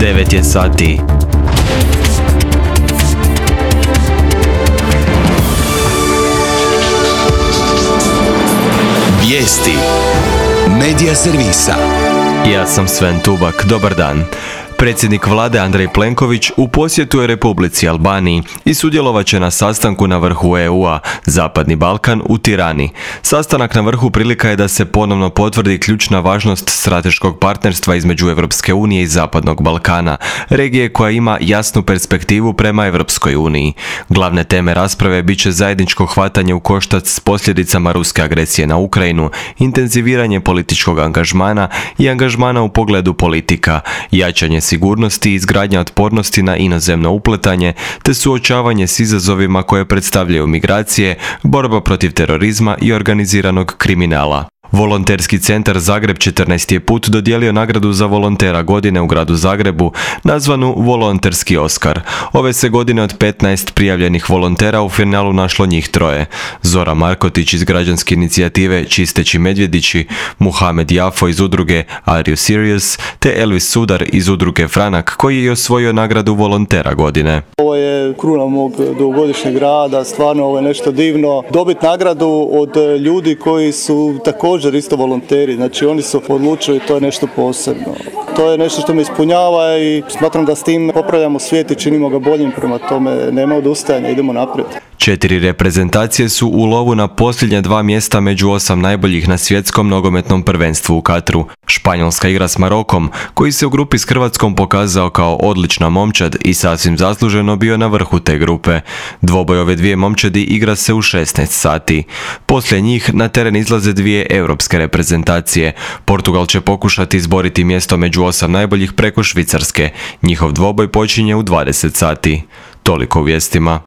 9 je sati. Vijesti Medija servisa. Ja sam Sven Tubak, dobar dan. Predsjednik vlade Andrej Plenković u posjetu je Republici Albaniji i sudjelovat će na sastanku na vrhu EU-a, Zapadni Balkan u Tirani. Sastanak na vrhu prilika je da se ponovno potvrdi ključna važnost strateškog partnerstva između Europske unije i Zapadnog Balkana, regije koja ima jasnu perspektivu prema Europskoj uniji. Glavne teme rasprave bit će zajedničko hvatanje u koštac s posljedicama ruske agresije na Ukrajinu, intenziviranje političkog angažmana i angažmana u pogledu politika, jačanje sigurnosti i izgradnja otpornosti na inozemno upletanje, te suočavanje s izazovima koje predstavljaju migracije, borba protiv terorizma i organiziranog kriminala. Volonterski centar Zagreb 14. je put dodijelio nagradu za volontera godine u gradu Zagrebu, nazvanu Volonterski Oskar. Ove se godine od 15 prijavljenih volontera u finalu našlo njih troje. Zora Markotić iz građanske inicijative Čisteći medvjedići, Muhamed Jafo iz udruge Are You Serious, te Elvis Sudar iz udruge Franak, koji je osvojio nagradu volontera godine. Ovo je kruna mog dugogodišnjeg rada, stvarno ovo je nešto divno. Dobiti nagradu od ljudi koji su također isto volonteri, znači oni su odlučili, to je nešto posebno. To je nešto što me ispunjava i smatram da s tim popravljamo svijet i činimo ga boljim, prema tome nema odustajanja, idemo naprijed. 4 reprezentacije su u lovu na posljednja 2 mjesta među 8 najboljih na svjetskom nogometnom prvenstvu u Katru. Španjolska igra s Marokom, koji se u grupi s Hrvatskom pokazao kao odlična momčad i sasvim zasluženo bio na vrhu te grupe. Dvoboj ove dvije momčadi igra se u 16 sati. Poslije njih na teren izlaze 2 europske reprezentacije. Portugal će pokušati izboriti mjesto među 8 najboljih preko Švicarske. Njihov dvoboj počinje u 20 sati. Toliko u vijestima.